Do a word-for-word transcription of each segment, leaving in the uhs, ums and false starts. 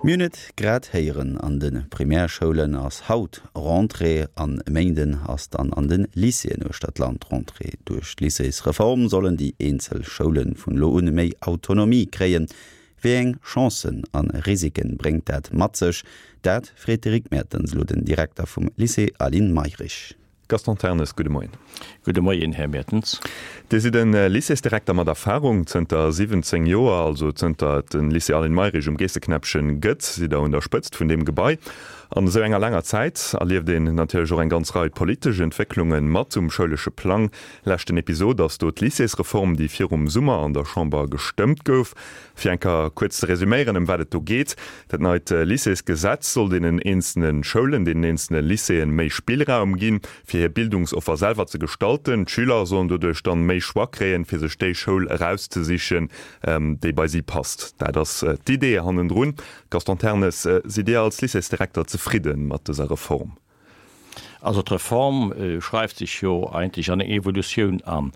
Mir hunn et grad héieren, an de Primärschoulen ass haut Rentrée, an e Méinden ass dann an de Lycéeën uechter d'Land Rentrée. Duerch d'Lycéesreform sollen déi eenzel Schoule vun elo un méi Autonomie kréien. Wéi eng Chancen a Risiken bréngt dat mat sech? Dat freet de Rick Mertens elo den Direkter vum Lycée Aline Mayrisch. Gaston Ternes, gudde Moien. Gudde Moien, Här Mertens. Dir sidd e Lycéesdirekter mat Erfarung. Zënter siwwenzéng Joer, also zënter et de Lycée Aline Mayrisch um Geesseknäppchen gëtt, sidd Der un der Spëtzt vun deem Gebai. An esou enger laanger Zäit erlieft een natierlech och eng ganz Rei politesch Entwécklunge mat um schoulesche Plang. Leschten Episod ass do d'Lycéesreform, déi virum Summer an der Chamber gestëmmt gouf. Fir eng Kéier kuerz ze resüméieren, ëm wat et do geet, Dat neit Lycéesgesetz soll deenen eenzelne Schoulen, deenen eenzelne Lycéeën méi Spillraum ginn, fir hir Bildungsoffer selwer ze gestalten. D'Schüler sollen doduerch dann méi Choix kréien, fir sech déi Schoul erauszesichen, déi bei si passt. Dat ass d'Idee hannendrun. Gaston Ternes, sidd Dir als Lycéesdirekter zefridde mat dëser Reform? Also d'Reform schreift sech jo eigentlech an eng Evolutioun an.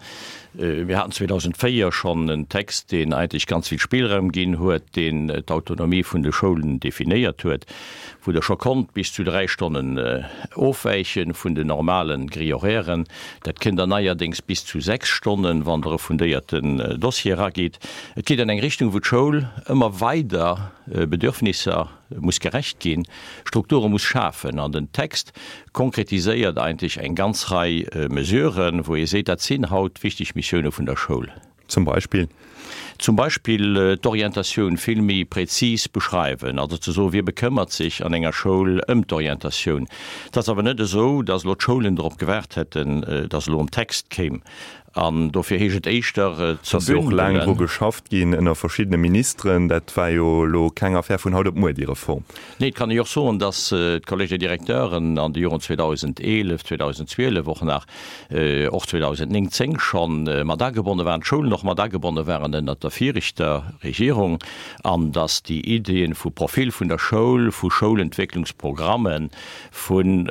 Mir haten zweedausendvéier schonn en Text, deen eigentlech ganz vill Spillraum ginn huet, deen d'Autonomie vun de Schoulen definéiert huet, wou Der scho konnt bis zu dräi Stonnen ofwäiche vun den normale Grille-horairen. Dat kënnt Der neierdéngs bis zu sechs Stonnen, wann Der e fundéierten Dossier eragitt. Et geet an eng Richtung, wou d'Schoul ëmmer weider Bedürfnisser muss gerecht ginn, Strukture muss schafen. An den Text konkretiséiert eigentlech eng ganz Rei Mesuren, wou ee seet, dat sinn haut wichteg Missioune vun der Schoul. Zum Beispill? Zum Beispill d'Orientatioun vill méi prezis beschreiwen, also ze soen, wie bekëmmert sech an enger Schoul ëm d'Orientatioun. Et ass awer net esou, datt elo d'Schoulen drop gewaart hätten, datt elo en Text kéim. An dofir heescht et éischter Et ze ass jo och laang dru bündelen. geschafft ginn ënner verschiddene Ministeren. Dat war jo elo keng Affär vun haut op muer, déi Reform. Nee, et kann ee jo och soen, datt d'Collège des Directeuren an de Joren zweedausendeelef, zweedausendzwielef och nach, och zweedausendnéng, zéng schonn mat agebonne waren, d'Schoulen och mat agebonne waren ënnert der viregter Regierung, an datt déi Iddien vu Profil vun der Schoul, vu Schoulentwécklungsprogrammen, vun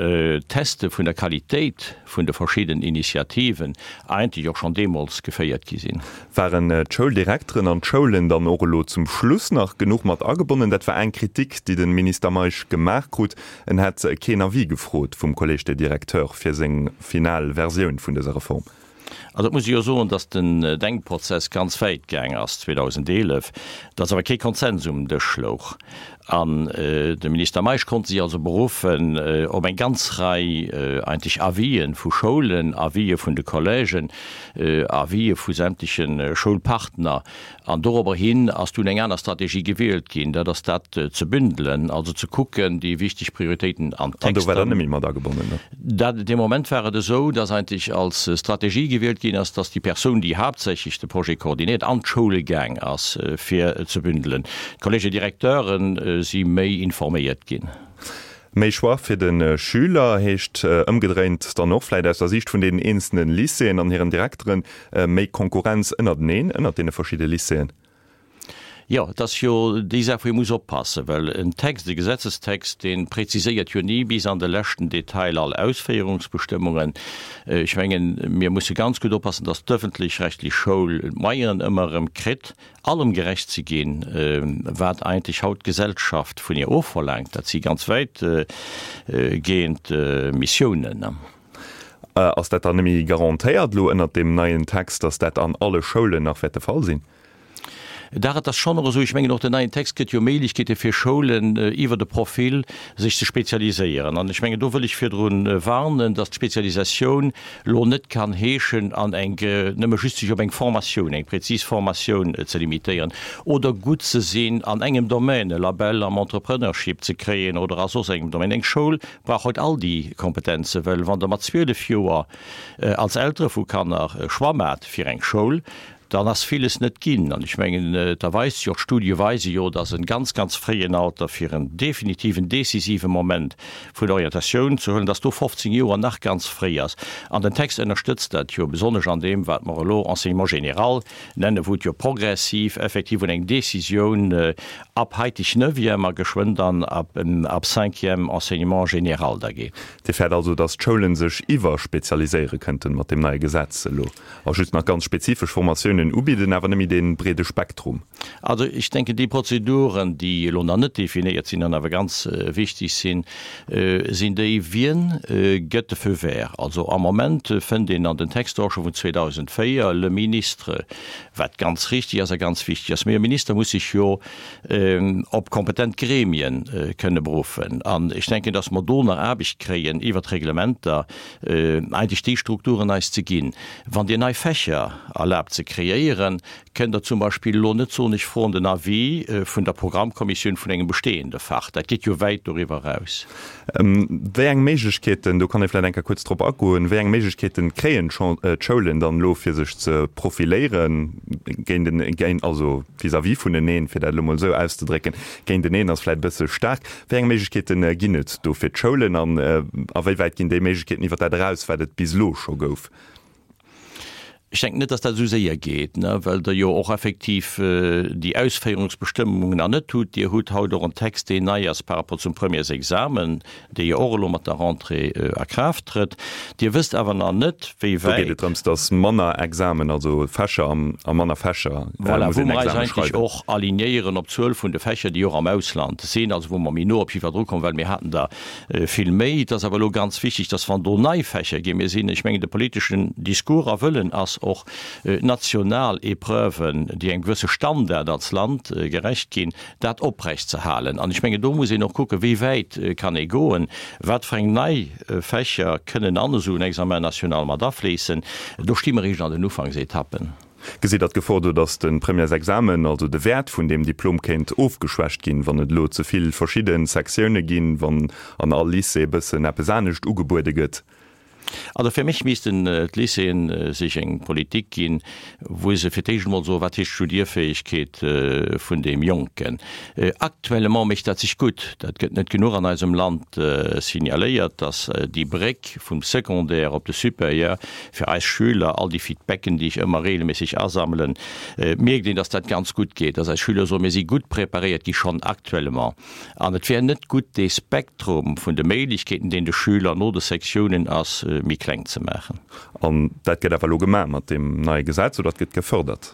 Teste vun der Qualitéit vun de verschiddenen Initiativen eigentlech och schonn deemools geféiert gi sinn. Waren d'Schouldirekteren an d'Schoulen dann och elo zum Schluss nach genuch mat agebonnen? Dat war eng Kritik, déi de Minister Meisch gemaach krut. En hätt keen Avis gefrot vum Collège des Directeurs fir seng final Versioun vun dëser Reform. Also et muss ee jo soen, datt den Denkprozess ganz wäit gaang ass zweedausendeelef, datt awer kee Konsens um Dësch louch. An de Minister Meisch konnt sech also beruffen op eng ganz Rei eigentlech Avisë vu Schoulen, Avisë vun de Collègen, Avisë vu sämtleche Schoulpartner. An dorobber hin ass dunn eng aner Strategie gewielt ginn, dat ass dat ze bündelen, also ze kucken, déi wichteg Prioritéiten an An do war d'Texter. der net méi mat agebonnen, ne? Dat, dee Moment war et esou, dass eigentlech als Strategie gewielt ginn ass, dass déi Persoun, déi haaptsächlech de Projet koordinéiert, an d'Schoule gaang ass, fir ze bündelen. D'Collège-directeuren si méi informéiert ginn. Méi Choix fir de Schüler heescht ëmgedréint dann och vläicht aus der Siicht vun deenen eenzelne Lycéeën an hiren Direkteren, méi Konkurrenz ënnerteneen, ënnert deene verschidde Lycéeën. Jo, et ass jo déi Saach, wou ee muss oppassen, well en Text, e Gesetzestext, dee preziséiert jo ni bis an de leschten Detail all Ausféierungsbestëmmungen. Ech mengen, mir musse ganz gutt oppassen, dass d'ëffentlech-rechtlech Schoul d'Moyenen ëmmer erëm kritt, allem gerecht ze ginn, wat eigentlech haut d'Gesellschaft vun hir ofverlaangt. Dat si ganz wäit gehend Missiounen. Ass dat dann net méi garantéiert elo ënnert deem neien Text, dass dat an alle Schoulen nach wäert de Fall sinn? Dach, et ass schonn och esou, ech mengen och den neien Text gëtt jo Méiglechkeete fir Schoulen iwwert e Profil sech ze spezialiséieren. An ech mengen, do wëll ech virdru warnen, dass d'Spezialisatioun elo net kann heeschen, an eng nëmme just sech op eng Formatioun, eng prezis Formatioun ze limitéieren oder gutt ze sinn an engem Domaine, e Label am Entrepreneurship ze kréien oder a soss engem Domaine. Eng Schoul brauch haut all déi Kompetenzen, well wann Der mat zwielef Joer als Eltere vu Kanner e Choix maacht fir eng Schoul, dann ass villes net ginn. An ech mengen, et erweist sech och, d'Studie weise jo, dass en ganz, ganz fréien Alter fir en definitiven, decisive Moment vun Orientatioun ze huelen, dass do fofzéng Joer nach ganz fréi ass. An den Text ënnerstëtzt dat jo, besonnesch an deem, wat mer elo Enseignement général nennen, wou et jo progressiv effektiv un eng Décisioun ab haiteg Neuvième a geschwënn dann ab, ab Cinquième Enseignement général da geet. Dir fäert also, dass d'Schoulen sech iwwerspezialiséiere kënnten mat deem neie Gesetz elo a just nach ganz spezifesch Formatiounen Sektiounen ubidden, awer net méi dee breede Spektrum. Also ech denken, déi Prozeduren, déi elo nach net definéiert sinn an awer ganz wichtig sinn, sinn déi, Wien gëtt de Feu vert? Also am Moment fënnt een an den Texter och scho vun zweedausendvéier le ministre, wat ganz richtig ass a ganz wichtig ass. Mee e Minister muss sech jo op kompetent Gremien kënne beruffen. An ech denken, dass mer do nach Aarbecht kréien, iwwert d'Reglementer eigentlech déi Strukturen eis ze ginn. Wann Dir nei Fächer erlaabt ze kreéieren, kënnt Der zum Beispill elo net soen, ech froen den Avis vun der Programmkommissioun vun engem bestehende Fach. Dat geet jo wäit doriwwer eraus. Wéi eng Méiglechkeeten, do kann ee vläicht eng Kéier kuerz drop agoen, wéi eng Méiglechkeeten kréien d'Schoulen dann elo fir sech ze profiléieren géint, also vis-à-vis vuneneen, fir dat elo mol esou auszedrécken, géinteneen ass vläicht e bësse staark, wéi eng Méiglechkeete ginn et do fir d'Schoulen an a wéi wäit ginn déi Méiglechkeeten iwwer dat eraus, wat et bis elo scho gouf? Ech denken net, dass dat esou séier geet, well Der jo och effektiv déi Ausféierungsbestëmmungen nach net hutt. Dir hutt haut och en Text, deen nei ass par rapport zum Premièresexamen, dee jo och elo mat der Rentrée a Kraaft trëtt. Dir wësst awer nach net, wéi Do geet wäit. et drëms, dass manner Examen, also Fächer a manner Fächer Voilà, muss wou een mer eis Examen eigentlech schreiwen. och alignéieren op d'Zuel vun de Fächer, déi och am Ausland sinn, also wou mer méi no op jiddwer drukommen, well mir haten der vill méi. Et ass awer elo ganz wichtig, dass wann do nei Fächer ginn, mir sinn, ech mengen, de politeschen Discours a Wëllen ass och, national Épreuven, déi engem gewësse Standard als Land gerecht ginn, dat oprecht ze halen. An ech mengen, do muss een och kucken, wéi wäit kann ee goen, wat fir eng nei Fächer kënnen an esou en Examen national mat afléissen. Do sti mer eréischt an den Ufanksetappen. Gesitt Der d'Gefor do, datt de Premièresexamen, also de Wäert vun deem Diplom kéint ofgeschwächt ginn, wann et elo ze vill verschidde Sektioune ginn, wann an all Lycée e bëssen eppes anescht ugebuede gëtt? Also fir mech missten d'Lycéeën sech eng Politik ginn, wou se fir d'éischt emol soen, wat heescht Studierfäegkeet vun deem Jonken. Actuellement mécht dat sech gutt. Dat gëtt net genuch an eisem Land signaléiert, dass déi Bréck vum Secondaire op de Supérieur fir eis Schüler, all déi Feedbacken, déi ech ëmmer regelméisseg asammelen, mierkt een, dass dat ganz gutt geet, dass eis Schüler soen, mir si gutt preparéiert gi schonn actuellement. An et wär net gutt, dee Spektrum vun de Méiglechkeeten, deen de Schüler no de Sektiounen ass, méi kleng ze maachen. An dat gëtt awer elo gemaach mat deem neie Gesetz, oder dat gëtt gefërdert?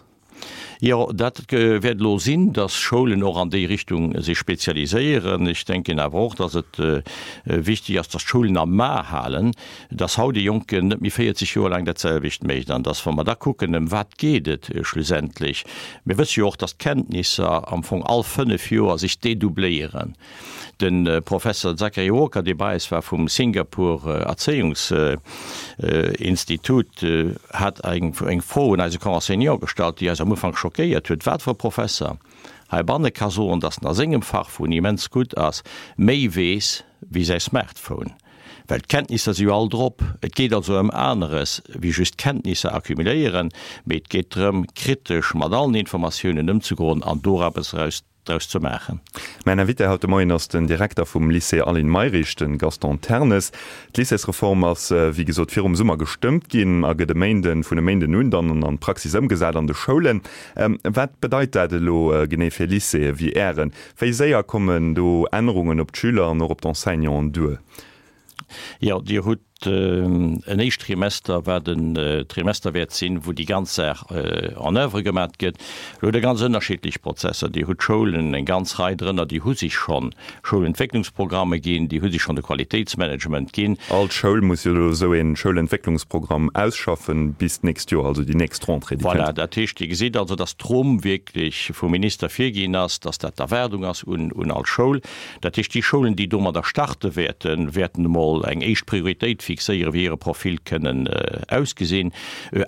Jo, dat wäert elo sinn, dass Schoulen och an déi Richtung sech spezialiséieren. Ech denken awer och, dass et wichtig ass, dass d'Schoulen am A halen, dass haut e Jonken net méi véierzeg Joer laang dat selwecht mécht an dass, wa mer da kucken, ëm wat geet et schlussendlech, mir wësse jo och, dass d'Kenntnisser am Fong all fënnef Joer sech dedoubléieren. De Professer Zachary Walker, dee bei eis war vum Singapur Erzéiungsinstitut, hat eng Fro un eise Corps enseignant gestallt, déi eis am Ufank schockéiert huet, Wat fir e Professer heibanne ka soen, datt en a sengem Fach, wou en immens gutt ass, méi weess wéi säi Smartphone? Well d'Kenntnisser si jo all drop. Et geet also ëm aneres wéi just Kenntnisser accumuléieren, mee et geet drëm, kritesch mat allen Informatiounen ëmzegoen an do eppes eraus draus ze maachen. Mäin Invité haut de Moien ass den Direkter vum Lycée Aline Mayrisch, de Gaston Ternes. D'Lycéesreform ass, wéi gesot, virum Summer gestëmmt ginn a gëtt e Méinden, vun e Méinden un dann an d'Praxis ëmgesat an de Schoulen. Wat bedeit dat elo genee fir Lycéeë wéi Ären? Wéi séier kommen do Ännerungen op d'Schüler an och op d'Enseignanten duer? Jo, Dir hutt en éischt Trimester, wat en Trimester wäert sinn, wou déi ganz Saach en oeuvre gemat gëtt. Elo hutt Der ganz ënnerschiddlech Prozesser. Dir hutt Schoulen, eng ganz Rei drënner, déi hu sech scho Schoulentwécklungsprogramme ginn, déi hu sech schonn de Qualitéitsmanagement ginn. All Schoul muss jo elo esou ee Schoulentwécklungsprogramm ausschaffen bis d'nächst Joer, also déi nächst Rentrée, déi Voilà, kënnt. dat heescht, Dir gesitt also, dass d'Rumm wierklech vum Minister virginn ass, dass dat d'Erwaardung ass un all Schoul. Dat heescht, déi Schoulen, déi domadder starte wäerten, wäerten emol eng éischt Prioritéit fixéieren, wéi hire Profil kënnen ausgesinn.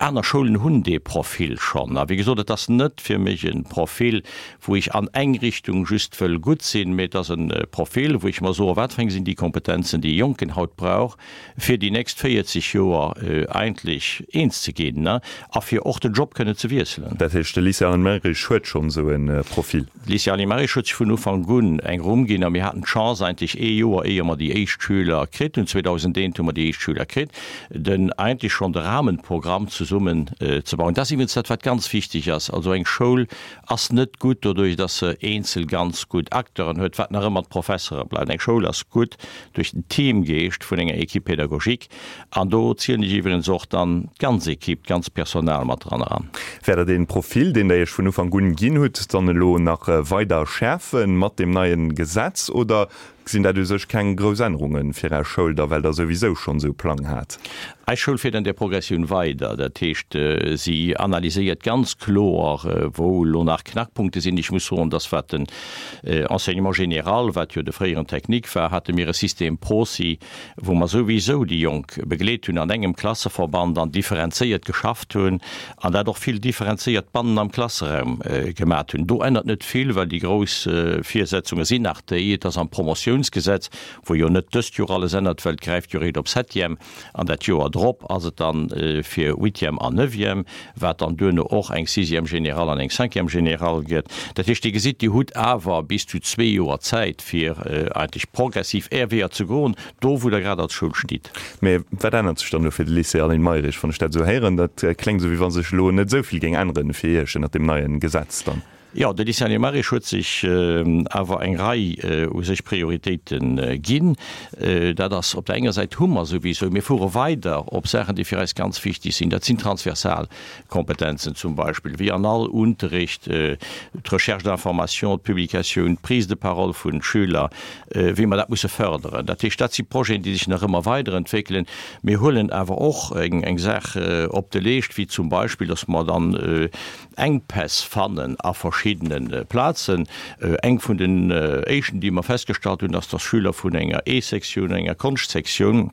Aner Schoulen hunn dee Profil schonn. A wéi gesot, et ass net fir mech e Profil, wou ech an eng Richtung just wëll gutt sinn, mee et ass e Profil, wou ech mer soen, wat fir eng sinn déi Kompetenzen, déi e Jonken haut brauch, fir déi nächst véierzeg Joer eigentlech eens ze ginn a fir och den Job kënnen ze wiesselen. Dat heescht, de Lycée Aline Mayrisch huet schonn esou e Profil? De Lycée Aline Mayrisch huet sech vun Ufank un eng Rumm ginn a mir haten d'Chance eigentlech ee Joer, éier mer déi éischt Schüler kritt hunn, zweedausendeent hu mer déi Teamgeescht d'Schüler kritt, den eigentlech schonn de Rahmenprogramm zesummen ze bauen. Dat ass iwwregens dat, wat ganz wichteg ass. Also eng Schoul ass net gutt doduerch, dass se eenzel ganz gutt Acteuren huet, wat nach ëmmer d'Professere bleiwen. Eng Schoul ass gutt duerch den Teamgeescht vun enger Équipe pédagogique. An do zielen ech iwwregens och dann d'ganz Équipe, d'ganz Personal mat dran eran. Wäert Der dee Profil, deen Der Iech vun Ufank un ginn hutt, dann elo nach weider schäerfe mat deem neie Gesetz oder sinn dat u sech keng grouss Ännerunge fir Är Schoul da, well Der souwisou schonn esou Plang hat? Eis Schoul fiert an där Progressioun weider. Dat heescht, si analyséiert ganz kloer, wou elo nach Knackpunkte sinn. Ech muss soen, dass wat den Enseignement général, wat jo de fréieren Technique war, hate mir e System Prosi, wou mer souwisou déi Jonk begleet hunn an engem Klasseverband an differenzéiert geschafft hunn an dat och vill differenzéiert bannen am Klasseraum gemat hunn. Do ännert net vill, well déi grouss Virsetzunge sinn nach déi, et ass am Promotiounsgesetz, wou jo net dëst Joer alles ännert, well et gräift jo eréischt op Septième an dat Joer drop ass et dann fir Huitième an Neuvième, wat dann duerno och eng Sixième générale an eng Cinquième générale gëtt. Dat heescht, Dir gesitt, Dir hutt awer bis zu zwee Joer Zäit, fir eigentlech progressiv Är Weeër ze goen, do wou Der grad als Schoul stitt. Mee wat ännert sech dann elo fir de Lycée Aline Mayrisch, wann ech dat esou héieren? Dat kléngt esou, wéi wa sech elo net esou vill géing änneren fir Iech ënnert deem neie Gesetz dann. Jo, de Lycée Aline Mayrisch huet sech awer eng Rei u sech Prioritéite ginn. Dat ass op der enger Säit hu mer souwisou, mir fuere weider op Saachen, déi fir eis ganz wichteg sinn, dat sinn transversal Kompetenzen zum Beispill, wéi an all Unterricht d'Recherche d'information, d'Publikatioun, d'Prise de parole vun Schüler, wéi mer dat musse förderen. Dat heescht, dat si Projeten, déi sech nach ëmmer weiderentwéckelen. Mir huelen awer och eng Saach op de Leescht, wéi zum Beispill, dass mer dann Enkpäss fannen a verschiddene Plazen. Eng vun den éischten, déi mer festgestallt hunn, ass, dass Schüler vun enger E-Sektioun, enger Konschtsektioun,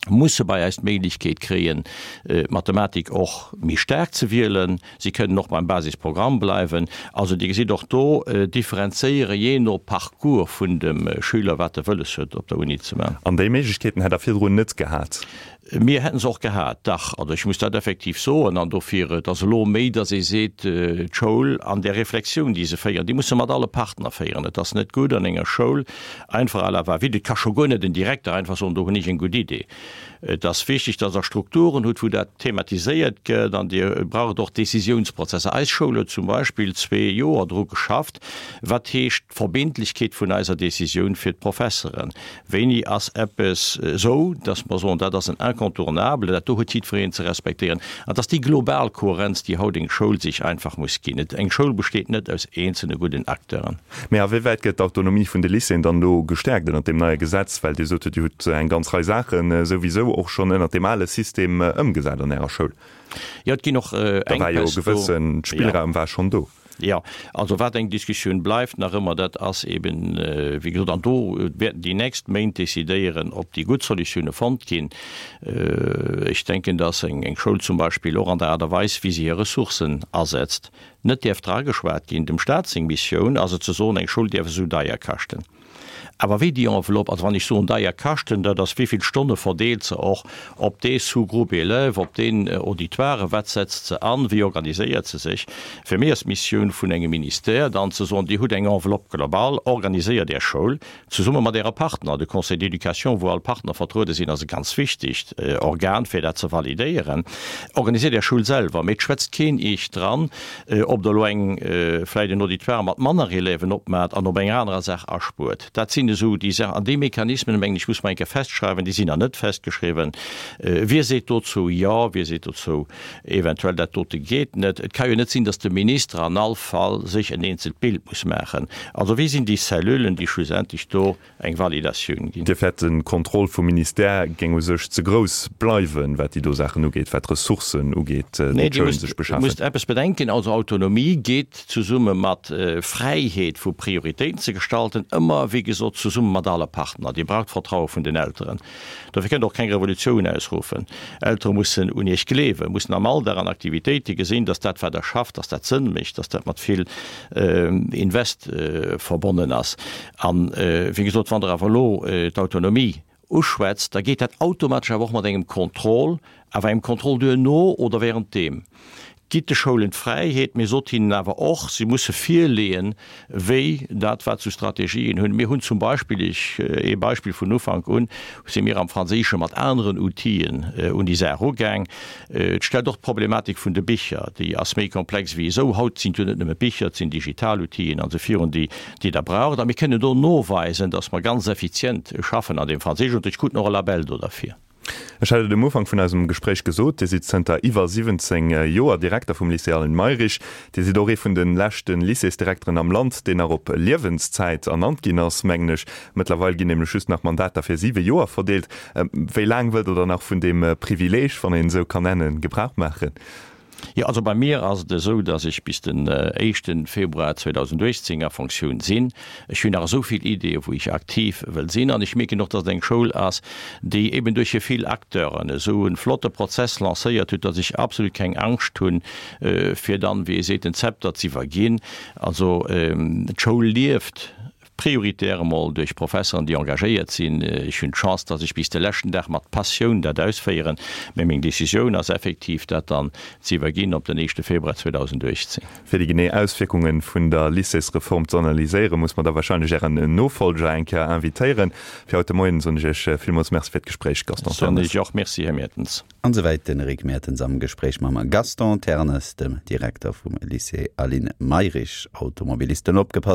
musse bei eis d'Méiglechkeet kréien, d'Mathematik och méi staark ze wielen. Si kënnen och beim Basisprogramm bleiwen. Also Dir gesitt och do differenzéiere jee no Parcours vun dem Schüler, wat e wëlles huet op der Uni ze maachen. An déi Méiglechkeeten hätt Der virdrun net gehat? Mir hätten se och gehat, dach. Also ech muss dat effektiv soen. An dofir, et ass elo méi, datt ee seet, d'Schoul an där Reflexioun, déi se féieren, déi muss se mat alle Partner féieren. Et ass net gutt an enger Schoul einfach à la va-vite, et ka scho guer net en Direkter einfach soen, do hunn ech eng gutt Idee. Et ass wichteg, datt Der Strukturen hutt, wou dat thematiséiert gëtt an Dir braucht och Décisiounsprozesser. Eis Schoul huet zum Beispill zwee Joer dru geschafft, wat heescht d'Verbindlechkeet vun eiser Décisioun fir d'Professeren. Wéini ass eppes esou, datt mer soen, dat ass en Incontournable, dat do huet jiddwereen ze respektéieren. An et ass déi global Kohärenz, déi haut eng Schoul sech einfach muss ginn. Et, eng Schoul besteet net aus eenzelne gudden Acteuren. Mä a wéi wäit gëtt d'Autonomie vun de Lycéeën dann elo gestäerkt ënnert deem neie Gesetz? Well Dir sot jo, Dir hutt eng ganz Rei Saache souwisou och schonn ënnert deem ale System ëmgesat an Ärer Schoul. Jo, et ginn och Da war jo e Enkpäss do. gewësse Spillraum war schonn do. Jo, also wat eng Diskussioun bleift nach ëmmer, dat ass eben, wéi gesot, an do wäerten déi nächst Méint decidéieren, ob déi gutt Solutioune fonnt ginn. Ech denken, dass eng Schoul zum Beispill och an der Aart a Weis, wéi se hir Ressourcen asetzt, net däerf drageschwat ginn. Dem Stat seng Missioun ass et ze soen, eng Schoul däerf esou deier kaschten. Awer wéi déi Enveloppe, also wann ech soen deier kaschten, dat ass wéi vill Stonne verdeelt se och op dee Sous-groupe élèves, op deen Auditoire, wat setzt se an, wéi organiséiert se sech. Fir méi ass d'Missioun vun engem Ministère dann ze soen, Dir hutt eng Enveloppe globale, organiséiert Är Schoul zesumme mat Äre Partner. De Conseil d'éducation, wou all Partner vertruede sinn, ass e ganz wichtegt Organ, fir dat ze validéieren. Organiséiert Är Schoul selwer, mee et schwätzt keen Iech dran, ob Der elo eng vläicht en Auditoire mat manner Élèven opmaacht an op enger anerer Saach aspuert. Dat sinn esou déi Saachen. An déi Mechanismen, mengen ech, muss mer eng Kéier festschreiwen. Déi sinn nach net festgeschriwwen. Wie seet dozou Jo, wie seet dozou eventuell, dat dote geet net? Et ka jo net sinn, datt de Minister an all Fall sech en eenzelt Bild muss maachen. Also wie sinn déi Cellulen, déi schlussendlech do eng Validatioun ginn? Dir fäert, de Contrôle vum Ministère géing u sech ze grouss bleiwen, wat déi do Saachen ugeet, wat d'Ressourcen ugeet, déi Nee, Dir d'Schoulen sech musst, beschafen? musst eppes bedenken, also Autonomie geet zesumme mat Fräiheet vu Prioritéiten ze gestalten, ëmmer, wéi gesot, zesumme mat alle Partner. Dir braucht d'Vertraue vun den Elteren. Dofir kënnt Der och keng Revolutioun ausruffen. Eltere mussen un Iech gleewen, mussen am Alldag an Aktivitéite gesinn, dass dat, wat Der schafft, dass dat Sënn mécht, dass dat mat vill Invest verbonnen ass. An, wéi gesot, wann Der awer elo d'Autonomie uschwätzt, da geet dat automatesch awer och mat engem Contrôle, awer engem Contrôle duerno oder währenddeem. Gitt de Schoulen d'Fräiheet, mee sot hinnen awer och, si musse virleeën, wéi dat, wat se u Strategien hunn. Mir hunn zum Beispill, ech, ee Beispill, vun Ufank un si mir am Franséische mat aneren Outile un déi Saach ugaang. Et stellt och d'Problematik vun de Bicher, déi ass méi komplex wéi esou. Haut sinn et jo net nëmme Bicher, et sinn digital Outilen an esou virun, déi déi Der braucht. A mir kënnen do noweisen, dass mer ganz effizient schaffen an deem Franséischunterricht, kruten och e Label do derfir. Ech hat et um Ufank vun eisem Gespréich gesot, Dir sidd zënter iwwer siwwenzéng Joer Direkter vum Lycée Aline Mayrisch. Dir sidd och ee vun de leschte Lycéesdirekteren am Land, deen nach op Liewenszäit ernannt ginn ass, mengen ech. Mëttlerweil ginn nämlech just nach Mandater fir siwe Joer verdeelt. Wéi laang wëllt Der dann nach vun deem Privileeg, wann een et esou kann nennen, Gebrauch maachen? Jo, also bei mir ass et esou, dass ech bis den éischte Februar zweedausenduechtzéng a Fonctioun sinn. Ech hunn nach esou vill Ideeë wou ech aktiv wëll sinn an ech mierken och, dass et eng Schoul ass, déi eben duerch hir vill Acteuren esou e flotte Prozess lancéiert huet, dass ech absolut keng Angscht hunn, fir dann, wéi ee seet, den Zepter z'iwwerginn. Also d'Schoul lieft. Prioritär emol duerch Professeren, déi engagéiert sinn. Ech hunn d'Chance, dass ech bis de leschten Dag mat Passioun dat ausféieren, mä meng Décisioun ass effektiv, dat dann ze iwwerginn op den éischte Februar zweedausenduechtzéng Fir déi genee Auswierkunge vun der Lycéesreform ze analyséieren, muss mer da wahrscheinlech Ären Nofolger eng Kéier invitéieren. Fir haut de Moien soen ech Iech villmools Merci fir d'Gespréich, Gaston Soen Ternes. ech och Merci, Här Mertens. An esouwäit den Eric Mertens am Gespréich mam Gaston Ternes, dem Direkter vum Lycée Aline Mayrisch. Automobilisten opgepasst!